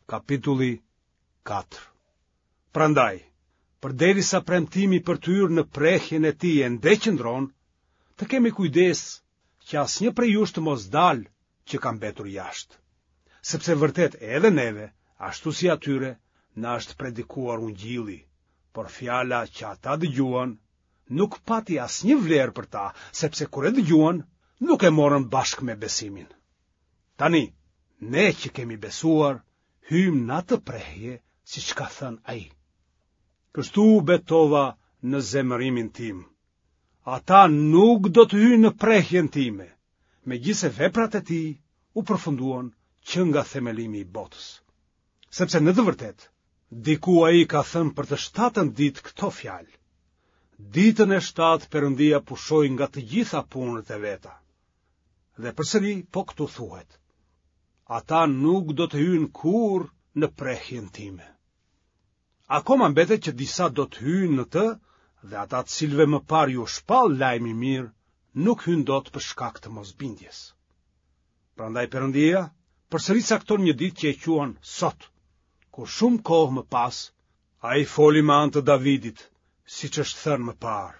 Kapitulli 4 Prandaj, përderisa premtimi për të hyrë në prehjen e tij ende qëndron, të kemi kujdes që asnjë prej jush të mos dalë që ka mbetur jashtë. Sepse vërtet edhe neve, ashtu si atyre, na është predikuar ungjilli, por fjala që ata dëgjuan nuk pati asnjë vlerë për ta, sepse kur e dëgjuan, nuk e morën bashkë me besimin. Tani, ne që kemi besuar, hyjmë në atë prehje, siç ka thënë ai. Kështu u betova në zemërimin tim. Ata nuk do të hyjnë në prehjen time, megjithëse veprat e tij u përfunduan që nga themelimi i botës. Sepse në të vërtetë, diku ai ka thënë për të shtatën ditë këto fjalë. Ditën e shtatë Perëndia pushoi nga të gjitha punët e veta. Dhe përsëri po këtu thuhet. Ata nuk do të hyjnë kurrë në prehjen time. Akoma mbetet që disa do të hyjnë në të dhe ata të cilëve më parë iu shpall lajmi i mirë, nuk hynë dot për shkak të mosbindjes. Prandaj Perëndia përsëri cakton një ditë që e quan sot, kur shumë kohë më pas ai foli me anë të Davidit, siç është thënë më parë.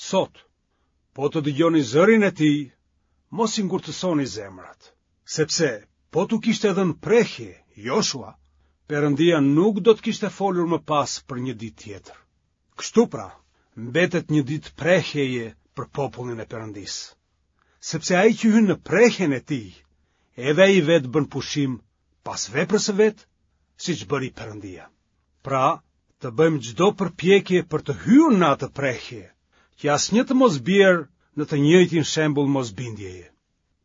Sot, po të dëgjoni zërin e tij, mos i ngurtësoni zemrat, sepse po t'u kishte dhënë prehje Joshua, Perëndia nuk do të kishte folur më pas për një ditë tjetër. Kështu pra, mbetet një ditë prehjeje për popullin e Perëndisë. Sepse ai që hyn në prehjen e tij, edhe ai vetë bën pushim pas veprës së vet, siç bëri Perëndia. Pra, të bëjmë çdo përpjekje për të hyrë në atë prehje, që asnjë të mos bjerë në të njëjtin shembull mosbindjeje.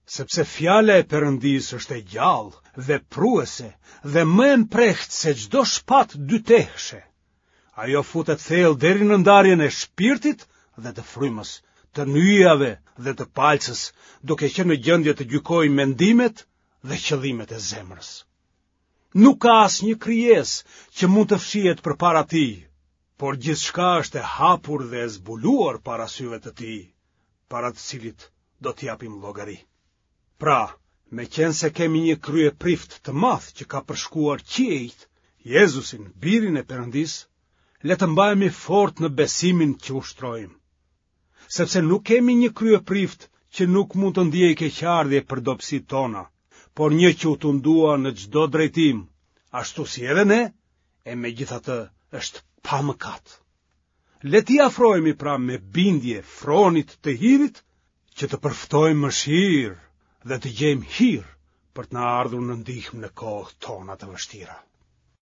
Sepse fjala e Perëndisë është e gjallë, vepruese dhe më e mprehtë se çdo shpatë dytehëshe. Ajo futet thellë deri në ndarjen e shpirtit dhe të frymës, të nyjave dhe të palcës, duke qenë në gjendje të gjykojë mendimet dhe qëllimet e zemrës. Nuk ka asnjë krijesë që mund të fshihet përpara tij, por gjithçka është e hapur dhe e zbuluar para syve të tij, para të cilit do të japim llogari. Pra, meqenëse kemi një kryeprift të madh që ka përshkuar qiejt, Jezusin, birin e Perëndisë, le të mbahemi fort në besimin që ushtrojmë. Sepse nuk kemi një kryeprift që nuk mund të ndiejë keqardhje për dobësitë tona, por një që u tundua në çdo drejtim, ashtu si edhe ne, e megjithatë është pa mëkat. Le t'i afrohemi pra me bindje fronit të hirit, që të përfitojmë mëshirë dhe të gjejmë hir për të na ardhur në ndihmë në kohët tona të vështira.